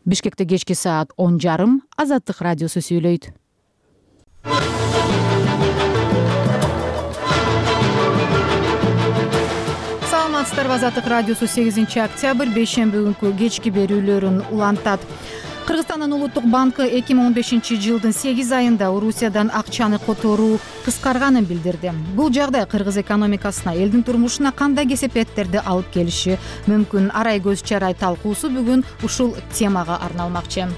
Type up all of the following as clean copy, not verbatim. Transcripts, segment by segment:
Бишкекте кечки саат 10:30 Азаттык радиосу сүйлөйт. Саламатсыздарбы, Азаттык радиосу 8 октябрь бейшемби күнкү кечки берүүлөрүн улантат. Кыргызстандын улуттук банкы 2015-жылдын 8 айында Орусиядан акчаны которуу кыскарганын билдирди. Бул жагдай кыргыз экономикасына, элдин турмушуна кандай кесепеттерди алып келиши мүмкүн? Арай көз чарай талкуусу бүгүн ушул темага арналмакчы.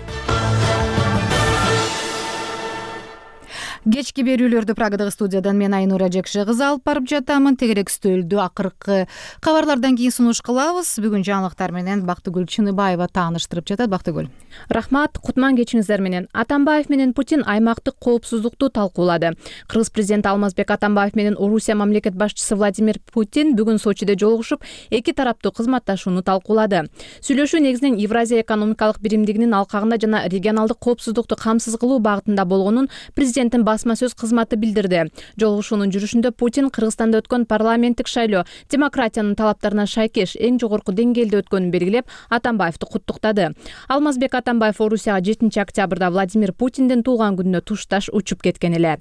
Кечки берүүлөрдү Прагадагы студиядан мен Айнура Жекшегызы алып барып жатамын. Тегерек стөлдү акыркы кабарлардан кийин сунуш кылабыз. Бүгүн жаңылыктар менен Бактыгүл Чыныбаева тааныштырып жатат. Бактыгүл. Рахмат, кутман кечиңиздер менен. Атамбаев менен Путин аймактык коопсуздукту талкуулады. Кыргыз президенти Алмазбек Атамбаев менен Орусия мамлекет башчысы Владимир Путин бүгүн Сочиде жолугушуп, эки тараптуу кызматташууну талкуулады. Сүйлөшүү негизинен Евразия экономикалык биримдигинин алкагында жана регионалдык коопсуздукту камсыз кылуу багытында болгонун президенттин басма сөз кызматы билдирди. Жолугушуунун жүрүшүндө Путин Кыргызстанда өткөн парламенттик шайлоо демократиянын талаптарына шайкеш эң жогорку деңгээлде өткөнүн белгилеп, Атамбаевди куттуктады. Алмазбек Атамбаев Орусияга 7 октябрда Владимир Путиндин туулган күнүнө тушташ учуп кеткен эле.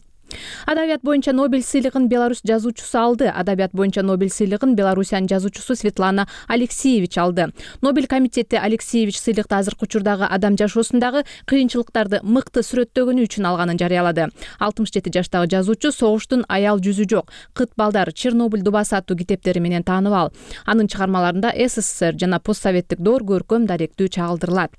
Адабият боюнча Нобель сыйлыгын Беларусь жазуучусу алды. Адабият боюнча Нобель сыйлыгын Беларусиянын жазуучусу Светлана Алексеевич алды. Нобель комитети Алексеевич сыйлыкты азыркы учурдагы адам жашоосундагы кыйынчылыктарды мыкты сүрөттөгөнү үчүн алганын жарыялады. 67 жаштагы жазуучу согуштун аял жүзү жок, кыт балдар, Чернобыль дубасы аттуу китептери менен тааныбал. Анын чыгармаларында СССР жана постсоветтик доор көркөм даректүү чагылдырылат.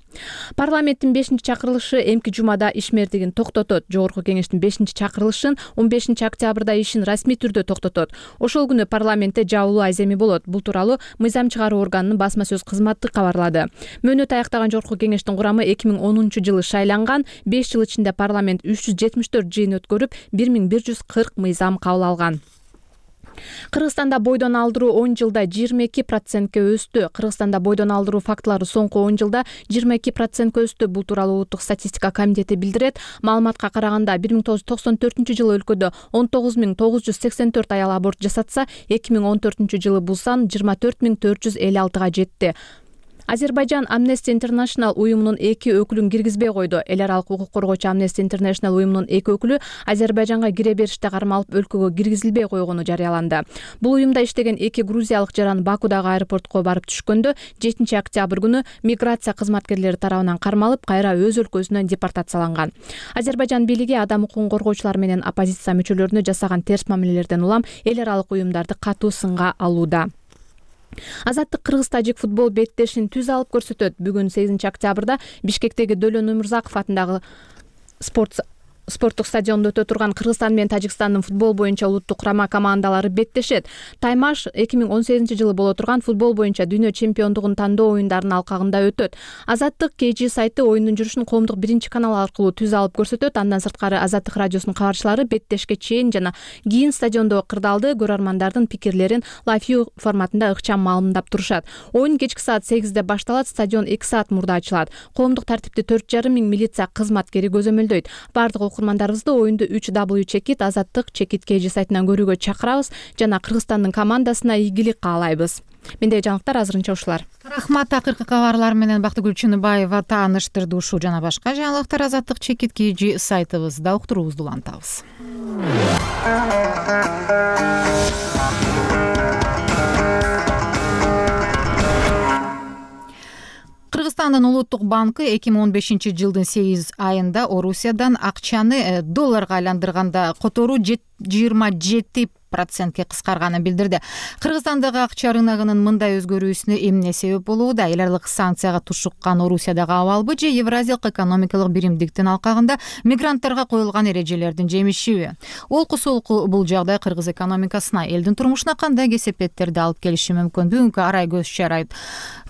Парламенттин 5-чакырылышы эмки жумада ишмердигин токтотот. Жогорку кеңештин 5-чакырылышы 15 октябрда ишин расмий түрдө токтотот. Ошол күнү парламентте жабылуу айземи болот. Бул тууралуу мыйзам чыгаруу органынын басма сөз кызматы кабарлады. Мөөнөт аяктаган жогорку кеңештин курамы 2010-жылы шайланган. 5 жыл ичинде парламент 374 жыйын өткөрүп, 1140 мыйзам кабыл алган. Кыргызстанда бойдон алдыруу 10 жылда 22%ке өстү. Кыргызстанда бойдон алдыруу фактылары соңку 10 жылда 22%ке өстү. Бул тууралуу Улуттук статистика комитети билдирет. Маалыматка караганда 1994-жылы өлкөдө 19984 аял аборт жасатса, 2014-жылы бул сан 24456га жетти. Азербайжан Amnesty International уюмунун 2 өкүлүн киргизбей койду. Эл аралык укук коргоочу Amnesty International уюмунун 2 өкүлү Азербайжанга кире бериште кармалып өлкөгө киргизилбей койгону жарыяланды. Бул уюмда иштеген 2 грузиялык жаран Бакудагы аэропортко барып түшкөндө 7 октябрь күнү миграция кызматкерлери тарабынан кармалып, кайра өз өлкөсүнө депортацияланган. Азербайжан бийлиги адам укугун коргоочулар менен оппозиция мүчөлөрүнө жасаган терс мамилелерден улам эл аралык уюмдарды катуу сынга алууда. Азаттык кыргыз-тажик футбол беттешин түз алып көрсөтөт. Бүгүн 8 октябрда Бишкектеги Дөлөн Өмүрзаков атындагы спорттук стадиондо өтө турган Кыргызстан менен Тажикстандын футбол боюнча улуттук курама командалары беттешет. Таймаш 2018-жылы боло турган футбол боюнча дүйнө чемпиондугун тандоо оюндарынын алкагында өтөт. Азаттык KG сайты оюндун жүрүшүн коомдук 1-канал аркылуу түз алып көрсөтөт. Андан сырткары Азаттык радиосунун кабарчылары беттешке чейин жана кийин стадиондо кырдаалды көрөрмандардын пикирлерин лайв-вью форматында ыкчам маалымдап турушат. Оюн кечки саат 8-де башталат, стадион 2 саат мурда ачылат. Коомдук тартипти 4,5 миң милиция кызматкери көзөмөлдөйт. Бардык окурмандарыбызды оюнду 3W чекит Азаттык чекит KG сайтынан көрүүгө чакырабыз жана Кыргызстандын командасына ийгилик каалайбыз. Мендеги жаңылыктар азырынча ушулар. Рахмат, акыркы кабарлар менен Бактыгүл Чыныбаева тааныштырды. Ушул жана башка жаңылыктар Азаттык чекит KG сайтыбызда уктуруубузду улантабыз. Кыргызстандын улуттук банкы 2015-жылдын 8 айында Орусиядан акчаны долларга айландырганда которуу 27%ке кыскарганын билдирди. Кыргызстандагы акча рыногунун мындай өзгөрүүсүнө эмне себеп болууда? Эл аралык санкцияга тушуккан Орусиядагы абалбы же Евразиялык экономикалык биримдиктин алкагында мигранттарга коюлган эрежелердин жемишиби? Олку бул жагдай кыргыз экономикасына, элдин турмушуна кандай кесепеттерди алып келиши мүмкүн? Бүгүнкү арай көз чарайт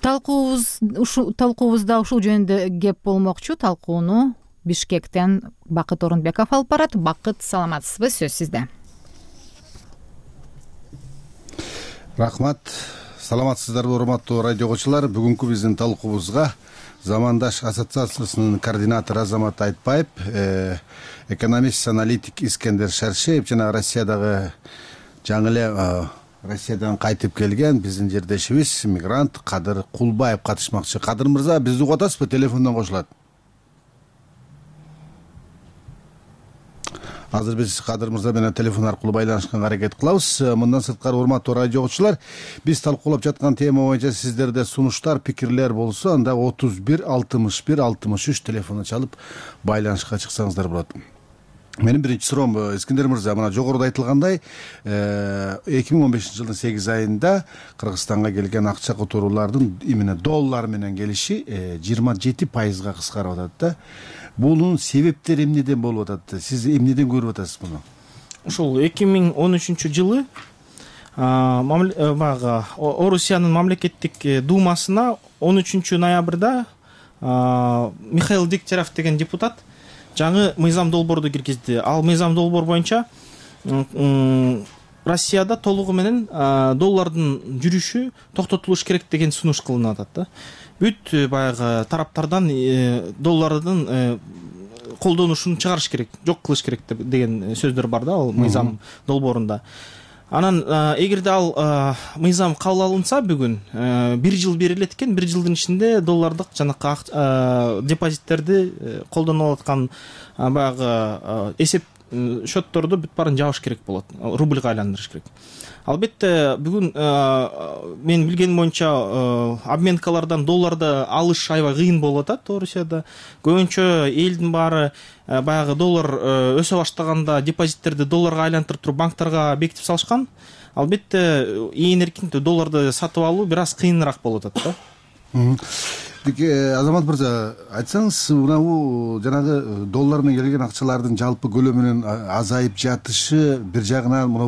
талкуубузда ушул жөнүндө кеп болмокчу. Талкууну Бишкектен Бакыт Орунбеков алып барат. Бакыт, саламатсызбы? Сөз сизде. Рахмат. Саламатсыздарбы, урматтуу радио окуучулар. Бүгүнкү биздин талкуубузга Замандаш ассоциациясынын координатору Азамат Айтбаев, экономист, аналитик Искендер Шаршеев жана Россиядагы жаңы эле Россиядан кайтып келген биздин жердешибиз мигрант Кадыр Кулбаев катышмакчы. Кадыр мырза, бизди угуп атасызбы? Телефондон кошулат. Азыр биз Кадыр мырза менен телефон аркылуу байланышканга аракет кылабыз. Мындан сырткары урматтуу радио окуучулар, биз талкуулап жаткан тема боюнча сиздерде сунуштар, пикирлер болсо, анда 31 61 63 телефону чалып байланышка чыксаңыздар болот. Менин биринчи суроом, Искендер мырза, мына жогоруда айтылгандай 2015-жылдын 8 айында Кыргызстанга келген акча которуулардын именно доллар менен келиши 27%га кыскарып атат да. Bunun себептери эмнеден болуп атат? Сиз эмнеден көрүп атасыз муну? Ошол 2013-жылы баягы Орусиянын мамлекеттик думасына 13-ноябрда Михаил Дегтярев деген депутат жаңы мыйзам долбоорду киргизди. Ал мыйзам долбоор боюнча Россияда толугу менен доллардын жүрүшү токтотулуш керек деген сунуш кылынып атат да. Бүт баягы тараптардан доллардын колдонушун чыгарыш керек, жок кылыш керек деген сөздөр бар да ал мыйзам долбоорунда. Анан эгерде ал мыйзам кабыл алынса бүгүн 1 жыл берилет экен, 1 жылдын ичинде доллардык жанакы депозиттерди колдонуп аткан баягы эсеп счетторду бүт баарын жабыш керек болот, рубльга айландырыш керек. Албетте бүгүн мен билгеним боюнча обменкалардан долларды алыш аябай кыйын болуп атат Орусияда. Көбүнчө элдин баары баягы доллар өсө баштаганда депозиттерди долларга айлантырып туруп банктарга бекитип салышкан. Албетте ээн эркин долларды сатып алуу бир аз кыйыныраак болуп атат да. Азамат мырза, айтсаңыз, мына жанагы доллар менен келген акчалардын жалпы көлөмүнүн азайып жатышы бир жагынан мына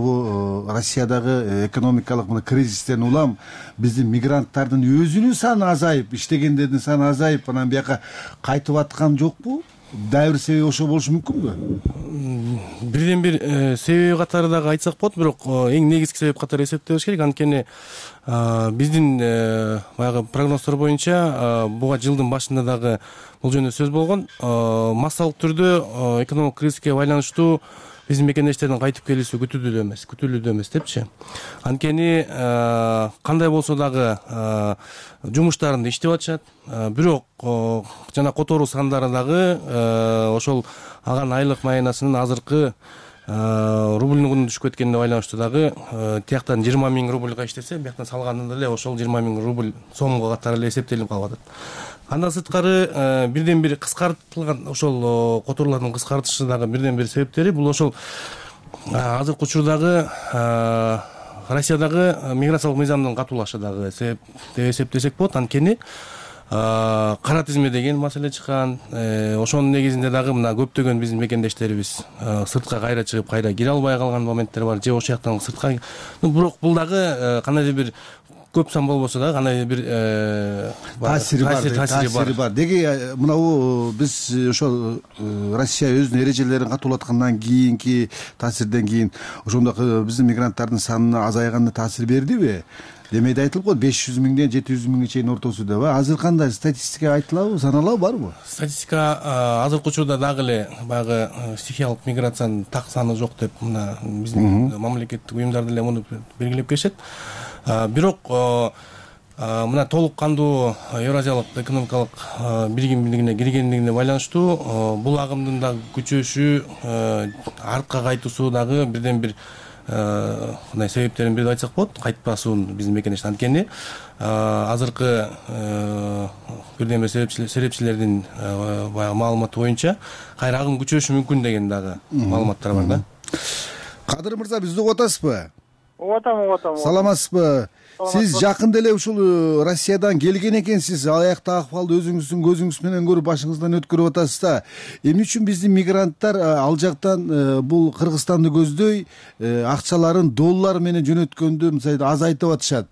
Россиядагы экономикалык кризистен улам биздин мигранттардын өзүнүн саны азайып, иштегендердин саны азайып, анан бияка кайтып аткан жокпу? Дагы бир себеби ошо болушу мүмкүнбү? Бирден бир себеби катары дагы айтсак болот, бирок эң негизги себеп катары эсептебеш керек. Анткени биздин баягы прогноздор боюнча буга жылдын башында дагы бул жөнүндө сөз болгон. Массалык түрдө экономикалык кризиске байланыштуу биздин мекендештердин кайтып келүүсү күтүлүүдө эмес депчи. Анткени кандай болсо дагы жумуштарында иштеп атышат, бирок жана которуу сандары дагы ошол аган айлык маянасынын азыркы рубльдин кунунун түшүп кеткенине байланыштуу дагы тияктан 20 000 рубльга иштесе, бияктан салганында эле ошол 20 000 рубль сомго катары эле эсептелип калып атат. Андан сырткары бирден бир кыскартылган ошол которуулардын кыскартышы дагы бирден бир себептери бул ошол азыркы учурдагы Россиядагы миграциялык мыйзамдын катуулашы дагы себеп деп эсептесек болот. Анткени кара тизме деген маселе чыккан. Ошонун негизинде дагы мына көптөгөн биздин мекендештерибиз сыртка кайра чыгып кайра кире албай калган моменттер бар, же ошол жактан сыртка. Бирок бул дагы кандайдыр бир көп сан болбосо дагы кандайдыр бир таасири бар. Деги мына биз ошол Россия өзүнүн эрежелерин катуулаткандан кийинки таасирден кийин ошондой биздин мигранттардын санына азайганына таасир бердиби? Демейде айтылып коет 500 000ден 700 000ге чейин ортосу деп. Азыр кандай статистика айтылабы, саналабы, барбы? Статистика азыркы учурда дагы эле баягы стихиялык миграциянын так саны жок деп мына биздин мамлекеттик уюмдар деле муну белгилеп келишет. Бирок мына толук кандуу Евразиялык экономикалык биригимдигине киргендигине байланыштуу бул агымдын да күчөшү, артка кайтуусу дагы бирден бир мындай себептерин бирип айтсак болот. Кайтпасуун биздин мекендеш. Анткени азыркы бирден бир серепчилердин баягы маалыматы боюнча кайра агым күчөшү мүмкүн деген дагы маалыматтар бар да. Кадыр мырза, бизди угуп атасызбы? Угуп атам. Саламатсызбы? Сиз жакында эле ушул Россиядан келген экенсиз. Аякта акыбалды өзүңүздүн көзүңүз менен көрүп башыңыздан өткөрүп атасыз да. Эмне үчүн биздин мигранттар ал жактан бул Кыргызстанды көздөй акчаларын доллар менен жөнөткөндү мисалы азайтып атышат?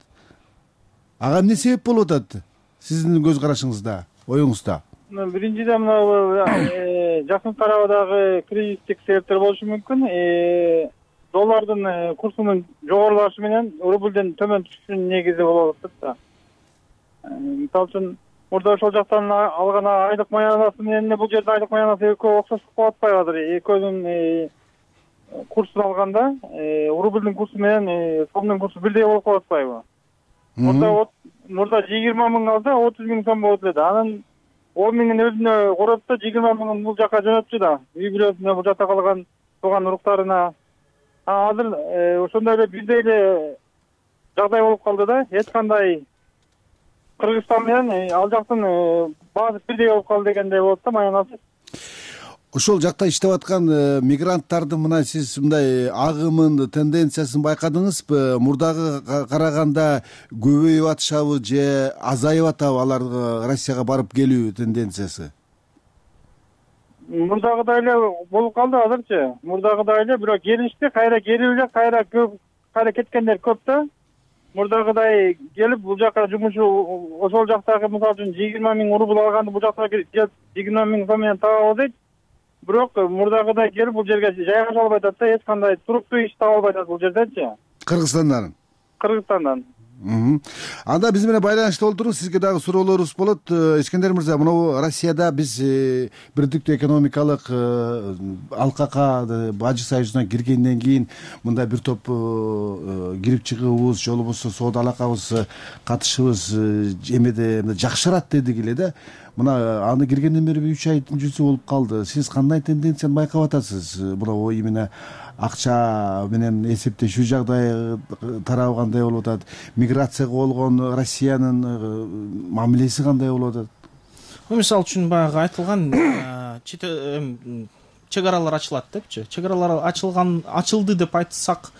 Ага эмне себеп болуп атат? Сиздин көз карашыңызда, оюңузда? Биринчиден жакын тарабыдагы кризистик себептер болушу мүмкүн. Доллардын курсунун жогорулашы менен рубльден төмөн түшүшүнүн негизи болуп атат да. Мисалы үчүн мурда ошол жактан алган айлык маянасы менен бул жерде айлык маянасы экөө окшоштук болуп атпайбы азыр? Экөөнүн курсун алганда рубльдин курсу менен сомдун курсу бирдей болуп калып атпайбы? Мурда 20 миң алса 30 миң сом болот эле. Анан 10 миңин өзүнө короп да 20 миңин бул жака жөнөттү да. Үй бүлөсүнө, бул жакта калган тууган уруктарына. Азыр ошондой эле бирдей эле жагдай болуп калды да. Эч кандай Кыргызстан менен ал жактын баасы бирдей болуп калды дегендей болот да, маянасы. Ошол жакта иштеп аткан мигранттардын мына сиз мындай агымын, тенденциясын байкадыңызбы? Мурдага караганда көбөйүп атышабы же азайып атабы алар Россияга барып келүү тенденциясы? Мурдагыдай эле болуп калды азырчы. Мурдагыдай эле, бирок келишти, кайра келип эле, кайра кеткендер көп да. Мурдагыдай келип бул жака жумушу ошол жактагы мисалы үчүн 20 миң рубль алганды бул жакта 20 миң сом менен таап алып дейт. Бирок мурдагыдай келип бул жерге жайгаша албай атат да, эч кандай туруктуу иш таба албай атат бул жерденчи. Кыргызстандан. Анда биз менен байланышта олтуруңуз, сизге дагы суроолорубуз болот. Искендер мырза, мына Россияда биз Бирдиктүү экономикалык алкакка, Бажы союзуна киргенден кийин мында бир топ кирип чыгуубуз же болбосо соода алакабыз, катышыбыз эмеде жакшырат дедик эле да. Мына аны киргенден бери 3 айдын жүзү болуп калды. Сиз кандай тенденцияны байкап атасыз? Мына именно акча менен эсептешүү жагдай тарабы кандай болуп атат? Миграцияга болгон Россиянын мамилеси кандай болуп атат? Мисалы үчүн баягы айтылган чек аралар ачылат депчи. Чек аралар ачылды деп айтсак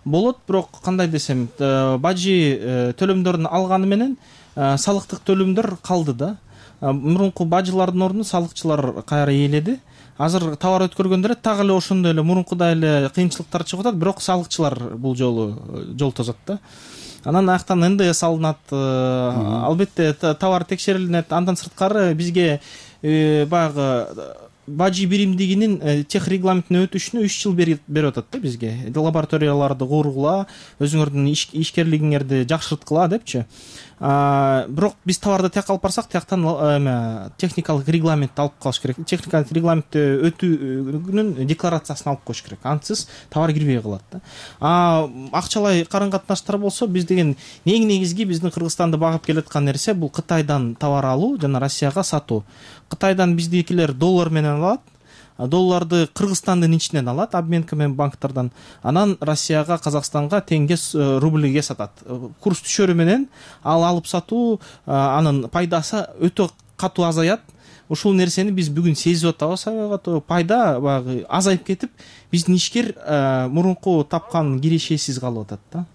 болот, бирок кандай десем, бажы төлөмдөрүн алганы менен салыктык төлөмдөр калды да. Мурунку бажылардын ордуна салыкчылар кайра ээледи. Азыр товар өткөргөндөр так эле ошондой эле мурункудай эле кыйынчылыктар чыгып атат, бирок салыкчылар бул жолу жол тосот да. Анан аяктан НДС алынат, албетте товар текшерилинет. Андан сырткары бизге баягы бажы биримдигинин тех регламентине өтүшүнө 3 жыл берип атат да бизге. Лабораторияларды кургула, өзүңөрдүн ишкерлигиңерди жакшырткыла депчи. Бирок биз товарды тияк алып барсак, тияктан техникалык регламент алып калыш керек. Техникалык регламентти өтүүнүн декларациясын алып коюш керек. Ансыз товар кирбей калат да. Акчалай карым-катнаштар болсо, биз деген эң негизги биздин Кыргызстанды багып келаткан нерсе бул Кытайдан товар алуу жана Россияга сатуу. Кытайдан биздикилер доллар менен алат, долларды Кыргызстандын ичинен алат, обменка менен банктардан. Анан Россияга, Казакстанга теңге рубльге сатат. Курс түшөрү менен ал алып сатуу анын пайдасы өтө катуу азаят. Ушул нерсени биз бүгүн сезип атабыз, пайда баягы азайып кетип, биздин ишкер мурунку тапкан кирешесиз калып атат да.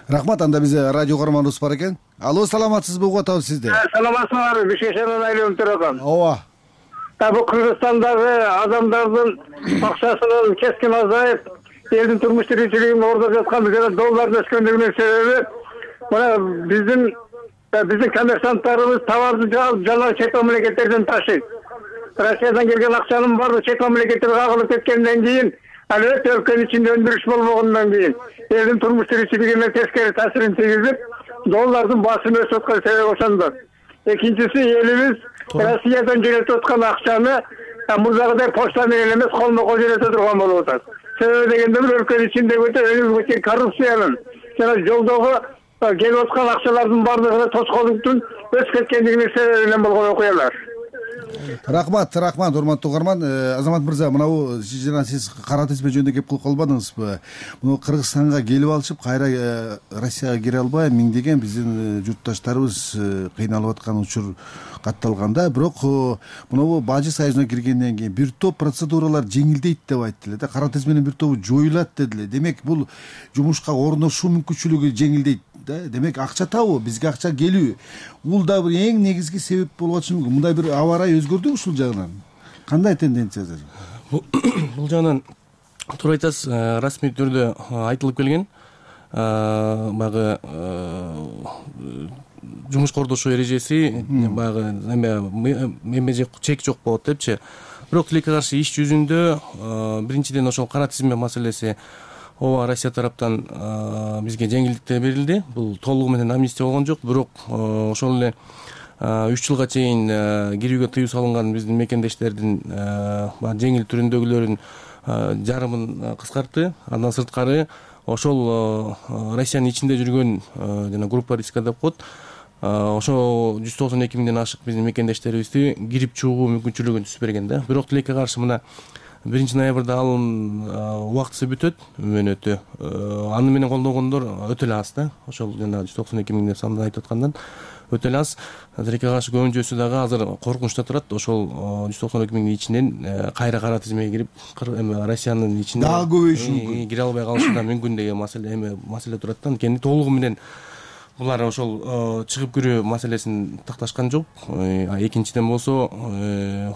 Рахмат, анда бизде радио каарманыбыз бар экен. Алло, саламатсызбы, угуп атабыз сизди. Саламатсызбы, Бишкекшенен айланып турган. Ооба. Бул Кыргызстандагы адамдардын акчасынын кескин азайып, элдин турмуш тиричилигин ордоп жаткан доллардын өскөндүгүнүн себеби мына биздин коммерсанттарыбыз товарды жана чет мамлекеттерден ташыйт. Россиядан келген акчанын баары чет мамлекеттерге кагылып кеткенден кийин, албетте өлкөнүн ичинде өндүрүш болбогондон кийин элдин турмуш тиричилигине тескери таасирин тийгизип, доллардын баасына өсүп аткан себеби ошондо. Экинчиси, элибиз Россиядан жөнөтүп аткан акчаны мурдагыдай почта менен эмес, колмо-кол жөнөтө турган болуп атат. Себеби дегенде өлкөнүн ичиндеги өнүгүүчү коррупциянын жана жолдогу келип аткан акчалардын баардыгына тоскоолдуктун өсүп кеткендигинин себебинен болгон окуялар. Рахмат, урматтуу угарман. Азамат мырза, мынабу сиз кара тизме жөнүндө кеп кылып калбадыңызбы? Муну Кыргызстанга келип алышып, кайра Россияга кире албай миңдеген биздин журтташтарыбыз кыйналып аткан учур катталган да. Бирок мынабу Бажы союзуна киргенден кийин бир топ процедуралар жеңилдейт деп айтты эле да. Кара тизменин бир тобу жоюлат деди эле. Демек, бул жумушка орношуу мүмкүнчүлүгү жеңилдейт. Демек, акча табуу, бизге акча келүү, бул да бир эң негизги себеп болуп атышы мүмкүн. Мындай бир аба ырайы өзгөрдүбү ушул жагынан? Кандай тенденциялар? Бул жагынан туура айтасыз, расмий түрдө айтылып келген. Баягы жумушка ордошуу эрежеси баягы эме чек жок болот депчи. Бирок тилекке каршы иш жүзүндө биринчиден ошол кара тизме маселеси ооба Россия тараптан бизге жеңилдиктер берилди. Бул толугу менен амнистия болгон жок, бирок ошол эле 3 жылга чейин кирүүгө тыюу салынган биздин мекендештердин жеңил түрүндөгүлөрүн жарымын кыскартты. Андан сырткары ошол Россиянын ичинде жүргөн жана группа риска деп коет. Ошо 192 миңден ашык биздин мекендештерибизди кирип чыгуу мүмкүнчүлүгүн түзүп берген да. Бирок тилекке каршы мына 1 ноябрда алым убактысы бүтөт, мөөнөтү. Аны менен колдогондор өтө эле аз да. Ошол жана 192 миң деп санды айтып аткандан өтө эле аз. Тилекке каршы көбүнчөсү дагы азыр коркунучта турат. Ошол 192 миңдин ичинен кайра кара тизмеге кирип Россиянын ичине дагы көбөйүшү мүмкүн. Кире албай калышы да мүмкүн деген маселе турат да. Анткени толугу менен булар ошол чыгып кирүү маселесин такташкан жок. Экинчиден болсо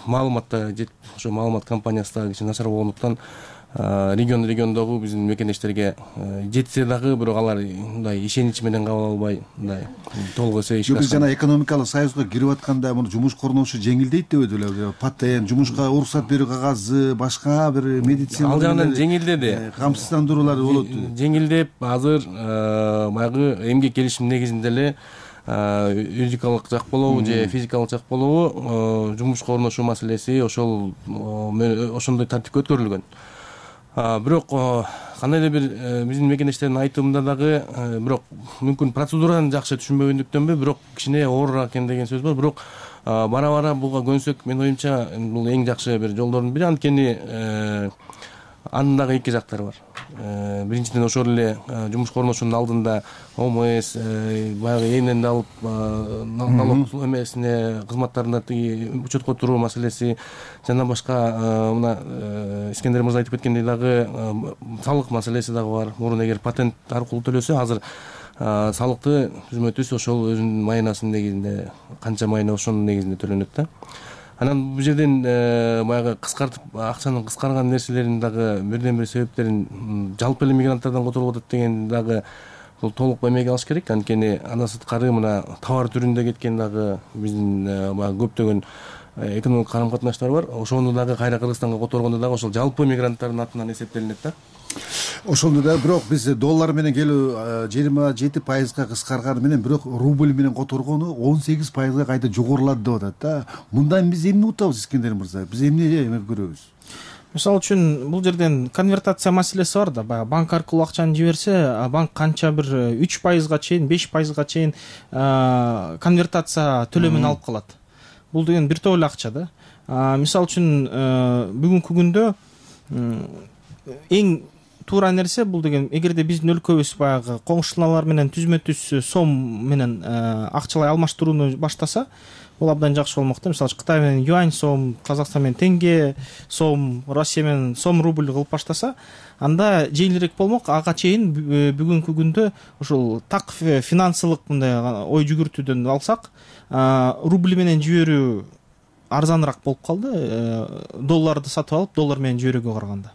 маалыматта ошо маалымат компаниясы дагы кичине начар болгондуктан региондогу биздин мекендештерге жетсе дагы бирок алар мындай ишенич менен кабыл албай мындай толук эсе ишке Биз жана экономикалык союзга кирип атканда муну жумуш корунушу жеңилдейт деп эле патент, жумушка уруксат берүү кагазы, башка бир медицина ал жагынан жеңилдеди. Камсыздандыруулар болот. Жеңилдеп азыр баягы эмгек келишим негизинде эле юридикалык жак болобу же физикалык жак болобу жумушка орношуу маселеси ошондой тартипке өткөрүлгөн. Бирок кандайдыр бир биздин мекендештердин айтымында дагы бирок мүмкүн процедураны жакшы түшүнбөгөндүктөнбү, бирок кичине оорураак экен деген сөз бар. Бирок бара буга көнсөк, менин оюмча бул эң жакшы бир жолдордун бири. Анткени анын дагы эки жактары бар. Биринчиден ошол эле жумушка орношуунун алдында ОМС баягы эмнени алып налог эмесине кызматтарына тиги учетко туруу маселеси жана башка мына Искендер мырза айтып кеткендей дагы салык маселеси дагы бар. Мурун эгер патент аркылуу төлөсө, азыр салыкты түзмө түз ошол өзүнүн майнасынын негизинде канча майна ошонун негизинде төлөнөт да. Анан бул жерден баягы кыскартып акчанын кыскарган нерселерин дагы бирден бир себептерин жалпы эле мигранттардан которуп атат деген дагы бул толук эмеге алыш керек. Анткени андан сырткары мына товар түрүндө кеткен дагы биздин баягы көптөгөн экономикалык карым-катнаштар бар. Ошону дагы кайра Кыргызстанга которгондо дагы ошол жалпы мигранттардын атынан эсептелинет да. Ошондо да бирок биз доллар менен келүү 27% кыскарганы менен бирок рубль менен которгону 18% кайта жогорулады деп атат да. Мындан биз эмне утабыз, Искендер мырза? Биз эмне көрөбүз? Мисалы үчүн бул жерден конвертация маселеси бар да. Баягы банк аркылуу акчаны жиберсе, банк канча бир 3%га чейин, 5%га чейин конвертация төлөмүн алып калат. Бул деген бир топ эле акча да. Мисалы үчүн бүгүнкү күндө эң туура нерсе бул деген, эгерде биздин өлкөбүз баягы коңшулар менен түзмө түз сом менен акчалай алмаштырууну баштаса, бул абдан жакшы болмок да. Мисалы Кытай менен юань сом, Казакстан менен тенге сом, Россия менен сом рубль кылып баштаса, анда жеңилирээк болмок. Ага чейин бүгүнкү күндө ушул так финансылык мындай ой жүгүртүүдөн алсак, рубль менен жиберүү арзаныраак болуп калды. Долларды сатып алып, доллар менен жиберүүгө караганда.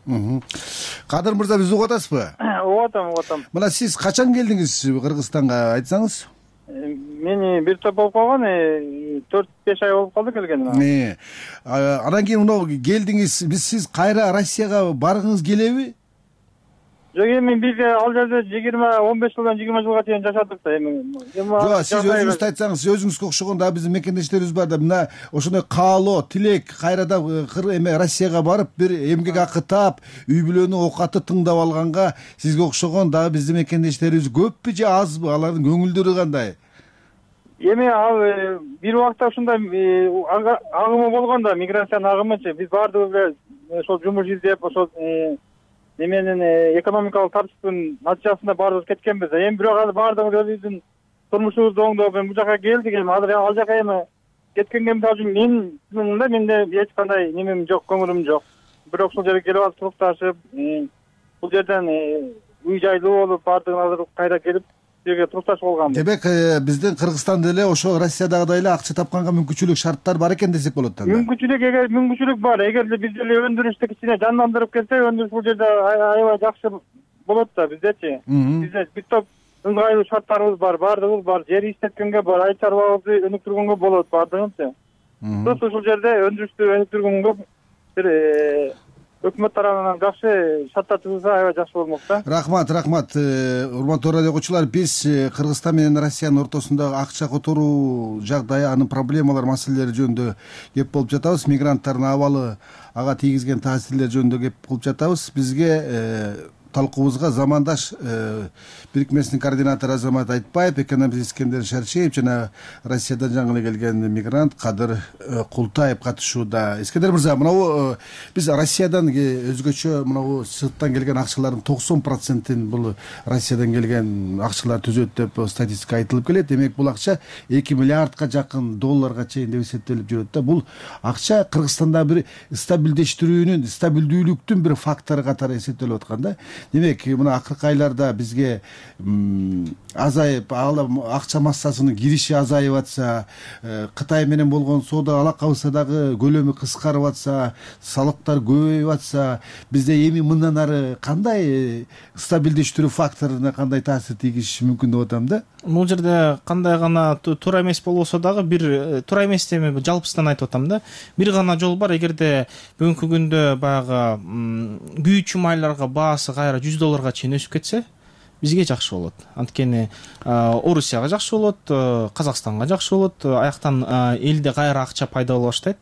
Кадыр мырза, биз угуп атасызбы? Угуп атам. Мына сиз качан келдиңиз Кыргызстанга, айтсаңыз? Мени бир топ болуп калган, 4-5 ай болуп калды келгениме. Анан кийин мына келдиңиз, сиз кайра Россияга баргыңыз келеби? Жок, эми биз ал жерде 15 жылдан 20 жылга чейин жашадык да. Жок, сиз өзүңүз айтсаңыз, өзүңүзгө окшогон да биздин мекендештерибиз бар да, мына ошондой каалоо, тилек кайрадан Россияга барып бир эмгек акы таап, үй бүлөнүн оокаты тыңдап алганга сизге окшогон дагы биздин мекендештерибиз көппү же азбы? Алардын көңүлдөрү кандай? Эми ал бир убакта ушундай агымы болгон да, миграциянын агымычы. Биз баардыгыбыз ошол жумуш издеп, ошол неменин экономикалык тартиптин натыйжасында баардыгыбыз кеткенбиз. Эми бирок азыр баардыгыбыз өзүбүздүн турмушубузду оңдоп бул жака келдик. Эми азыр ал жака эми кеткенге мисалы үчүн менде эч кандай немем жок, көңүлүм жок. Бирок ушул жерге келип алып турукташып, бул жерден үй жайлуу болуп, баардыгын азыр кайра келип жерге турукташып алганбыз. Демек биздин Кыргызстанда эле ошо Россиядагыдай эле акча тапканга мүмкүнчүлүк, шарттар бар экен десек болот да. Мүмкүнчүлүк бар. Эгерде биз эле өндүрүштү кичине жандандырып келсек, өндүрүш бул жерде аябай жакшы болот да биздечи. Бизде бир топ ыңгайлуу шарттарыбыз бар, баардыгыбыз бар. Жер иштеткенге бар, ай чарбабызды өнүктүргөнгө болот баардыгынчы. Ушул жерде өндүрүштү өнүктүргөнгө бир өкмөт тарабынан жакшы шарттар түзүлсө аябай жакшы болмок да. Рахмат. Урматтуу радио окуучулар, биз Кыргызстан менен Россиянын ортосундагы акча которуу жагдайы, анын проблемалар, маселелери жөнүндө кеп болуп жатабыз. Мигранттардын абалы, ага тийгизген таасирлер жөнүндө кеп кылып жатабыз. Бизге талкуубузга замандаш бирикмесинин координатору Азамат Айтбаев, экономист Искендер Шарчиев жана Россиядан жаңы эле келген мигрант Кадыр Култаев катышууда. Искендер мырза, мынабу биз Россиядан өзгөчө мынабу сырттан келген акчалардын 90%-ин бул Россиядан келген акчалар түзөт деп статистика айтылып келет. Демек бул акча 2 миллиардка жакын долларга чейин деп эсептелип жүрөт да. Бул акча Кыргызстанда бир стабилдештирүүнүн, стабилдүүлүктүн бир фактору катары эсептелип аткан да. Демек мына акыркы айларда бизге азайып, акча массасынын кириши азайып атса, Кытай менен болгон соода алакабызда дагы көлөмү кыскарып атса, салыктар көбөйүп атса, бизде эми мындан ары кандай стабилдештирүү факторуна кандай таасир тийгизиши мүмкүн деп атам да. Бул жерде кандай гана туура эмес болбосо дагы бир туура эмес деме жалпысынан айтып атам да. Бир гана жол бар. Эгерде бүгүнкү күндө баягы күйүүчү майларга баасы кайра $100 чейин өсүп кетсе, бизге жакшы болот. Анткени Орусияга жакшы болот, Казакстанга жакшы болот. Аяктан элде кайра акча пайда боло баштайт.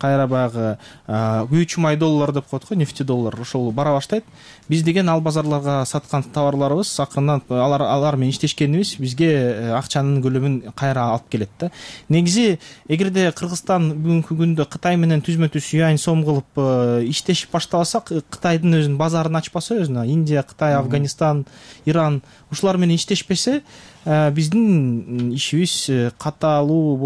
Кайра баягы күйүүчү май доллар деп коет го, нефти доллар, ошол бара баштайт. Биз деген ал базарларга саткан товарларыбыз акырындан алар менен иштешкенибиз бизге акчанын көлөмүн кайра алып келет да. Негизи эгерде Кыргызстан бүгүнкү күндө Кытай менен түзмө-түз юань сом кылып иштешип баштабасак, Кытайдын өзүнүн базарын ачпаса, өзүнө Индия, Кытай, Афганистан, Иран ушулар менен иштешпесе, биздин ишибиз капалуу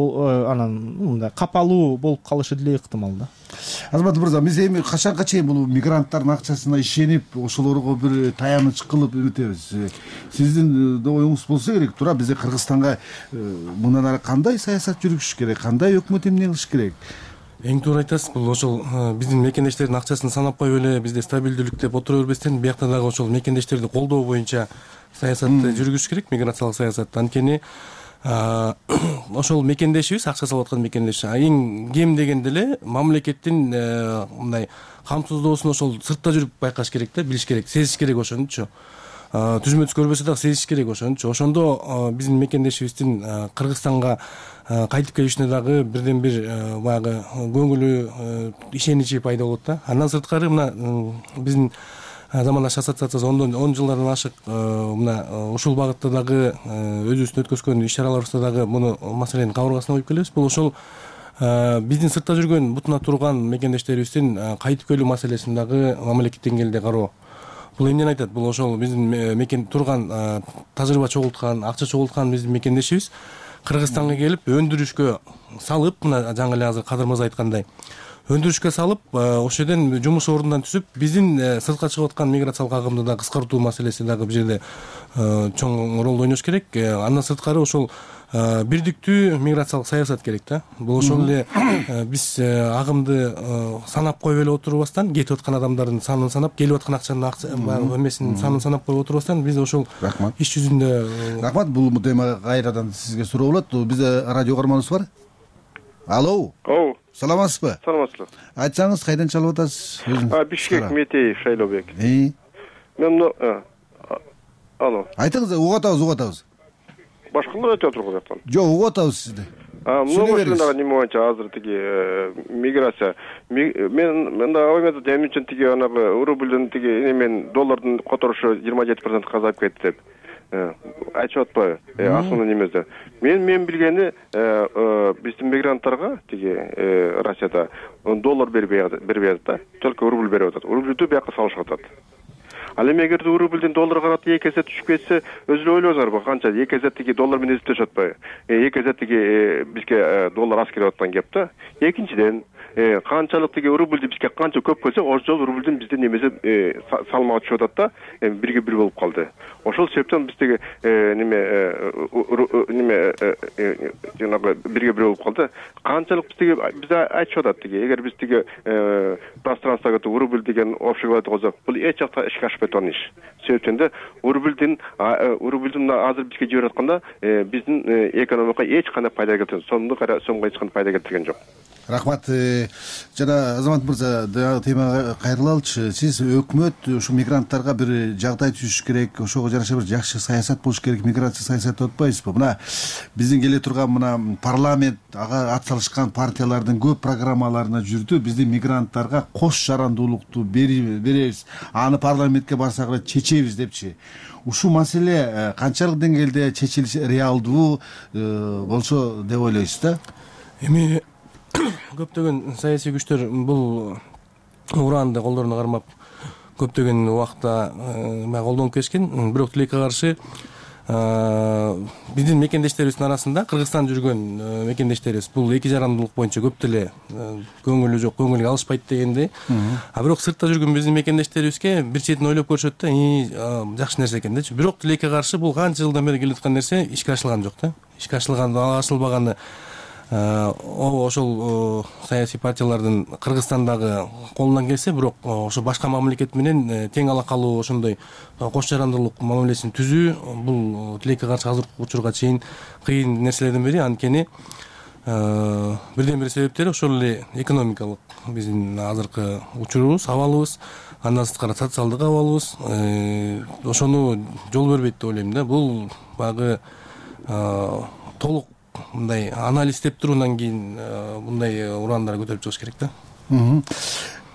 болуп калышы деле ыктымал да. Азамат мырза, биз эми качанга чейин бул мигранттардын акчасына ишенип, ошолорго бир таяныч кылып өтөбүз? Сиздин да оюңуз болсо керек. Туура бизде Кыргызстанга мындан ары кандай саясат жүргүзүш керек, кандай өкмөт эмне кылыш керек? Эң туура айтасыз. Бул ошол биздин мекендештердин акчасын санап коюп эле бизде стабилдүүлүк деп отура бербестен, биякта дагы ошол мекендештерди колдоо боюнча саясатты жүргүзүш керек, миграциялык саясатты. Анткени ошол мекендешибиз, акча салып аткан мекендеш эң кем дегенде эле мамлекеттин мындай камсыздоосун ошол сыртта жүрүп байкаш керек да, билиш керек, сезиш керек ошонучу. Түзмө-түз көрбөсө дагы сезиш керек ошонучу. Ошондо биздин мекендешибиздин Кыргызстанга кайтып келишине дагы бирден бир баягы көңүлү, ишеничи пайда болот да. Андан сырткары мына биздин замандаш ассоциациясы 10 жылдардан ашык мына ушул багытта дагы өзүбүздүн өткөзгөн иш-чараларыбызда дагы муну маселенин кабыргасына коюп келебиз. Бул ошол биздин сыртта жүргөн, бутуна турган мекендештерибиздин кайтып келүү маселесин дагы мамлекет деңгээлинде кароо. Бул эмнени айтат? Бул ошол биздин мекен турган, тажрыйба чогулткан, акча чогулткан биздин мекендешибиз Кыргызстанга келип өндүрүшкө салып, мына жаңы эле азыр Кадыр мырза айткандай, өндүрүшкө салып, ошол жерден жумуш ордунан түзүп, биздин сыртка чыгып аткан миграциялык агымды да кыскартуу маселеси дагы бул жерде чоң ролду ойнош керек. Андан сырткары ошол бирдиктүү миграциялык саясат керек да. Бул ошол эле биз агымды санап коюп эле отурбастан, кетип аткан адамдардын санын санап, келип аткан акчанын эмесинин санын санап коюп отурбастан, биз ошол иш жүзүндө. Рахмат. Бул тема кайрадан сизге суроо болот. Бизде радио каарманыбыз бар. Алло. Саламатсызбы? Саламатсызбы. Айтсаңыз, кайдан чалып атасыз? Бишкек, Метеев, Шайлообек. Мен алло. Айтыңыз, угуп атабыз. Башкалар айтып отур го жактан. Жок, угуп атабыз сизди. Мына дагы неме боюнча азыр тиги миграция. Мен да оймоду эмне үчүн тиги анагы рубльдин тиги немен доллардын которушу 27% азайып кетти деп айтып атпайбы? Асылы немеде. Мен билгени биздин мигранттарга тиги Россияда доллар бербей атат да. Только рубль берип атат. Рубльдү бияка салышып атат. Ал эми эгерде рубльдин долларга карата 2 эсе түшүп кетсе, өзү ойлоңуздарбы, канча 2 эсе тиги доллар менен эсептешип атпайбы? 2 эсе тиги бизге доллар аз келип аткан кеп да. Экинчиден, канчалык тиги рубльди бизге канча көп келсе, ошол рубльдин бизде немеси салмагы түшүп атат да, бирге бир болуп калды. Ошол себептен биздеги жанагы бирге бир болуп калды. Канчалык бизде айтышып атат тиги, эгер биз тиги пространствого рубль деген общий валюта болсо, бул эч жакта ишке ашпай турган иш. Себептен да рубльдин азыр бизге жиберип атканда биздин экономикага эч кандай пайда келтирген, сомго эч кандай пайда келтирген жок. Рахмат. Жана Азамат мырза, дагы темага кайрылалычы. Сиз өкмөт ушу мигранттарга бир жагдай түзүш керек, ошого жараша бир жакшы саясат болуш керек, миграция саясаты деп атпайсызбы? Мына биздин келе турган мына парламент, ага ат салышкан партиялардын көп программаларына жүрдү. Биздин мигранттарга кош жарандуулукту беребиз, аны парламентке барсак эле чечебиз депчи. Ушул маселе канчалык деңгээлде чечилиш реалдуу болсо деп ойлойсуз да? Эми көптөгөн саясий күчтөр бул ураанды колдоруна кармап көптөгөн убакта колдонуп келишкен. Бирок тилекке каршы биздин мекендештерибиздин арасында Кыргызстан жүргөн мекендештерибиз бул эки жарандуулук боюнча көп деле көңүлү жок, көңүлгө алышпайт дегендей. Бирок сыртта жүргөн биздин мекендештерибизге бир четин ойлоп көрүшөт да, жакшы нерсе экен дечи. Бирок тилекке каршы бул канча жылдан бери келе аткан нерсе ишке ашылган жок да. Ишке ашылбаганы ошол саясий партиялардын Кыргызстандагы колунан келсе, бирок ошо башка мамлекет менен тең ала калуу, ошондой кош жарандуулук мамилесин түзүү бул тилекке каршы азыркы учурга чейин кыйын нерселердин бири. Анткени бирден бир себептери ошол эле экономикалык биздин азыркы учурубуз, абалыбыз, андан сырткары социалдык абалыбыз ошону жол бербейт деп ойлойм да. Бул баягы толук мындай анализдеп туруудан кийин мындай ураандар көтөрүп чыгыш керек да.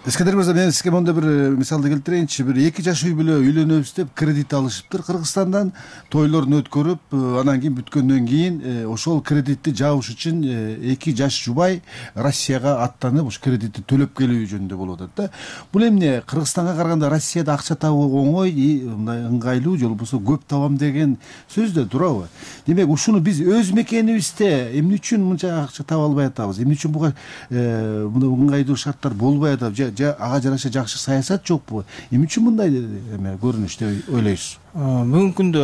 Искендер мырза, мен сизге моундай бир мисалды келтирейинчи. Бир эки жаш үй бүлө үйлөнөбүз деп кредит алышыптыр Кыргызстандан, тойлорун өткөрүп, анан кийин бүткөндөн кийин ошол кредитти жабыш үчүн эки жаш жубай Россияга аттанып, ушу кредитти төлөп келүү жөнүндө болуп атат да. Бул эмне Кыргызстанга караганда Россияда акча табуу оңой, мындай ыңгайлуу, же болбосо көп табам деген сөз да туурабы? Демек, ушуну биз өз мекенибизде эмне үчүн мынча акча таба албай атабыз? Эмне үчүн буга ыңгайлуу шарттар болбой атат? Ага жараша жакшы саясат жокпу? Эмне үчүн мындай көрүнүш деп ойлойсуз? Бүгүнкү күндө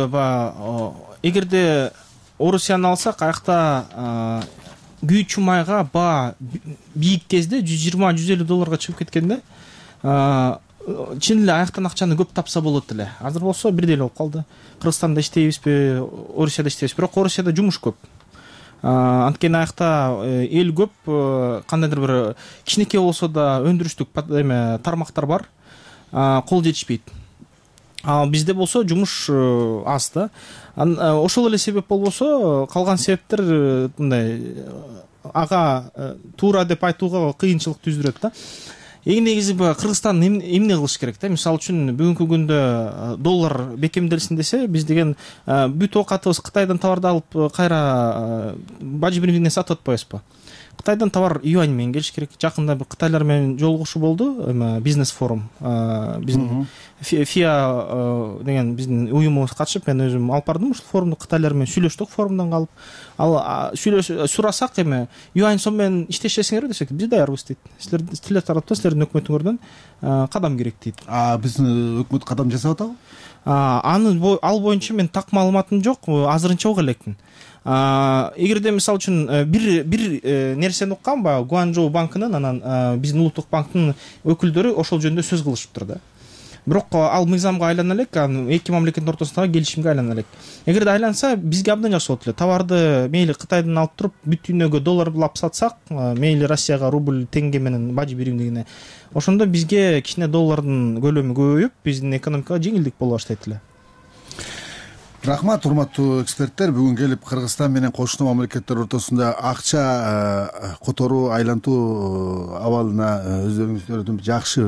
эгерде Орусияны алсак, аякта күйүүчү майга баа бийик кезде $120–150 чыгып кеткен да. Чын эле аяктан акчаны көп тапса болот эле. Азыр болсо бирдей эле болуп калды. Кыргызстанда иштейбизби, Орусияда иштейбизби? Бирок Орусияда жумуш көп. Анткени аякта эл көп, кандайдыр бир кичинекей болсо да өндүрүштүк тармактар бар, кол жетишпейт. Бизде болсо жумуш аз да. Ошол эле себеп болбосо, калган себептер мындай ага туура деп айтууга кыйынчылык түздүрөт да. Эң негизи Кыргызстан эмне кылыш керек да? Мисалы үчүн бүгүнкү күндө доллар бекемделсин десе, биз деген бүт оокатыбыз Кытайдан таварды алып кайра бажы биримине сатып атпайбызбы? Кытайдан товар юань менен келиш керек. Жакында бир кытайлар менен жолугушуу болду, бизнес форум. Биздин ФИА деген биздин уюмубуз катышып, мен өзүм алып бардым ушул форумду, кытайлар менен сүйлөштүк форумдан калып. Ал сурасак юань сом менен иштешесиңерби десек, биз даярбыз дейт. Силер тараптан, силердин өкмөтүңөрдөн кадам керек дейт. Биздин өкмөт кадам жасап атабы? Ал боюнча мен так маалыматым жок, азырынча уга элекмин. Эгерде мисалы үчүн бир нерсени уккам, баягы Гуанчжоу банкынын, анан биздин улуттук банктын өкүлдөрү ошол жөнүндө сөз кылышыптыр да. Бирок ал мыйзамга айлана элек, эки мамлекеттин ортосундагы келишимге айлана элек. Эгерде айланса, бизге абдан жакшы болот эле. Товарды мейли Кытайдан алып туруп, бүт дүйнөгө долларлап сатсак, мейли Россияга рубль, теңге менен бажы биримдигине, ошондо бизге кичине доллардын көлөмү көбөйүп, биздин экономикага жеңилдик боло баштайт эле. Рахмат, урматтуу эксперттер. Бүгүн келип Кыргызстан менен кошуна мамлекеттер ортосунда акча которуу, айлантуу абалына өздөрүңүздөрдүн жакшы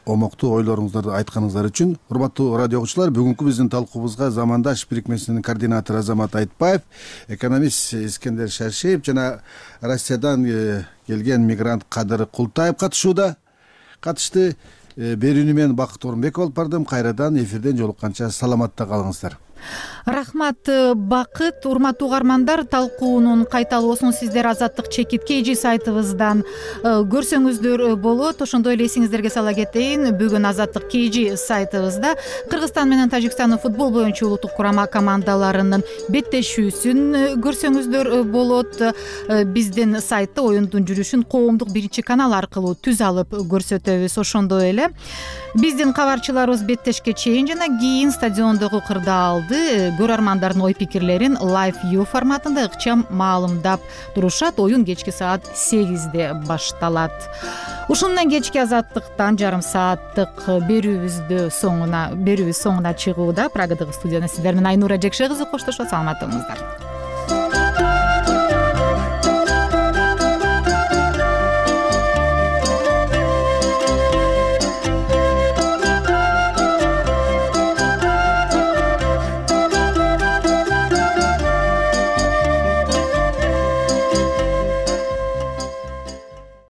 омоктуу ойлоруңуздарды айтканыңыздар үчүн. Урматтуу радио окуучулар, бүгүнкү биздин талкуубузга Замандаш бирикмесинин координатору Азамат Айтбаев, экономист Искендер Шаршеев жана Россиядан келген мигрант Кадыр Култаев катышты. Берүүнү мен Бакыт Орунбеков алып бардым. Кайрадан эфирден жолукканча саламатта калыңыздар. Рахмат, Бакыт. Урматтуу угармандар, талкуунун кайталоосун сиздер Азаттык чекит KG сайтыбыздан көрсөңүздөр болот. Ошондой эле эсиңиздерге сала кетейин, бүгүн Азаттык KG сайтыбызда Кыргызстан менен Тажикстандын футбол боюнча улуттук курама командаларынын беттешүүсүн көрсөңүздөр болот. Биздин сайтта оюндун жүрүшүн коомдук биринчи канал аркылуу түз алып көрсөтөбүз. Ошондой эле биздин кабарчыларыбыз беттешке чейин жана кийин стадиондогу кырдаалды маалыматтарды көрөрмандардын ой пикирлерин Live View форматында ыкчам маалымдап турушат. Оюн кечки саат 8-де башталат. Ушун менен кечки азаттыктан жарым сааттык берүүбүз соңуна чыгууда. Прагадагы студияда сиздер менен Айнура Жекше кызы коштошот. Саламатты болуңуздар.